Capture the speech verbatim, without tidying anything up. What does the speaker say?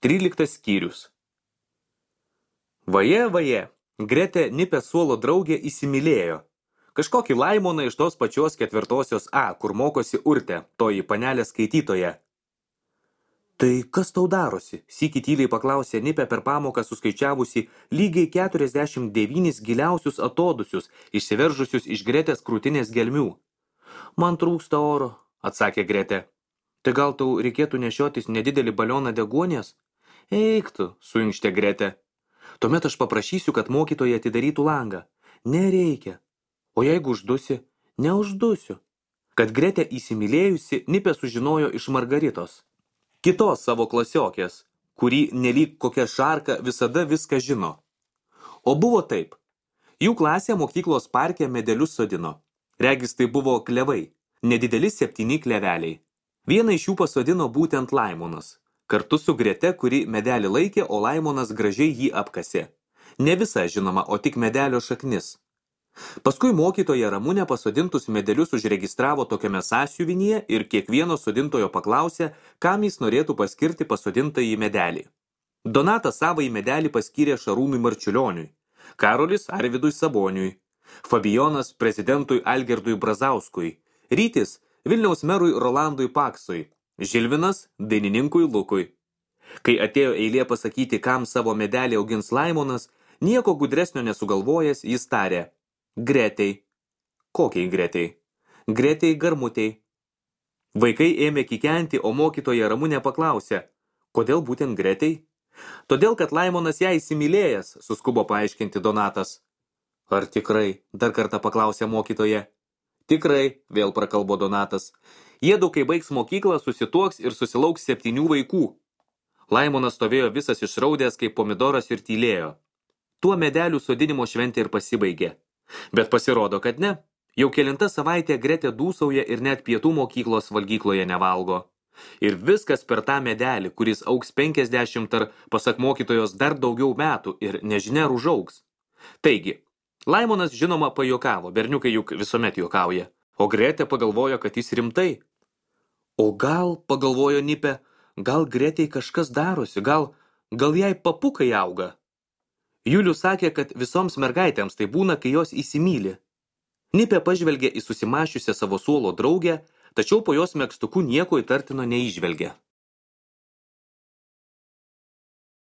Tryliktas skyrius. Vaje, vaje, Gretė Nipės suolo draugė įsimylėjo. Kažkokį Laimoną iš tos pačios ketvirtosios A, kur mokosi Urtė, toji panelė skaitytoja. Tai kas tau darosi? Sykį tyliai paklausė Nipė per pamoką suskaičiavusi lygiai keturiasdešimt devynis giliausius atodusius, išsiveržusius iš Gretės krūtinės gelmių. Man trūksta oro, atsakė Gretė. Tai gal tau reikėtų nešiotis nedidelį balioną deguonies? Eik tu, suinkštė Gretė. Tuomet aš paprašysiu, kad mokytoja atidarytų langą. Nereikia. O jeigu uždusi? Neuždusiu. Kad Gretė įsimylėjusi, Nipė sužinojo iš Margaritos. Kitos savo klasiokės, kurį nelyg kokia šarka visada viską žino. O buvo taip. Jų klasė mokyklos parke medelius sodino. Regis tai buvo klevai, nedideli septyni kleveliai. Vieną iš jų pasodino būtent Laimonas. Kartu su Grete, kuri medelį laikė, o Laimonas gražiai jį apkasė. Ne visa, žinoma, o tik medelio šaknis. Paskui mokytoja Ramunė pasodintus medelius užregistravo tokiame sąsiuvinyje ir kiekvieno sodintojo paklausė, kam jis norėtų paskirti pasodintąjį medelį. Donatas savąjį medelį paskyrė Šarūnui Marčiulioniui, Karolis Arvydui Saboniui, Fabijonas prezidentui Algirdui Brazauskui, Rytis Vilniaus merui Rolandui Paksui, Žilvinas dainininkui Lukui. Kai atėjo eilė pasakyti, kam savo medelį augins Laimonas, nieko gudresnio nesugalvojęs, jis tarė: Gretei. Kokiai Gretei? Gretei Garmutei. Vaikai ėmė kikenti, o mokytoja Ramunė paklausė: kodėl būtent Gretei? Todėl, kad Laimonas ją įsimylėjęs, suskubo paaiškinti Donatas. Ar tikrai? Dar kartą paklausė mokytoja. Tikrai, vėl prakalbo Donatas. Jiedu, kai baigs mokyklą, susituoks ir susilauks septynių vaikų. Laimonas stovėjo visas išraudęs kaip pomidoras ir tylėjo. Tuo medelių sodinimo šventė ir pasibaigė. Bet pasirodo, kad ne. Jau kelinta savaitė Gretė dūsauja ir net pietų mokyklos valgykloje nevalgo. Ir viskas per tą medelį, kuris augs penkiasdešimt ar, pasak mokytojos, dar daugiau metų ir nežinia ar užaugs. Taigi, Laimonas žinoma pajuokavo, berniukai juk visuomet juokauja. O Gretė pagalvojo, kad jis rimtai. O gal, pagalvojo Nipė, gal Gretei kažkas darosi, gal, gal jai papukai auga. Julius sakė, kad visoms mergaitėms tai būna, kai jos įsimyli. Nipė pažvelgė į susimašiusią savo suolo draugę, tačiau po jos megztuku nieko įtartino neįžvelgė.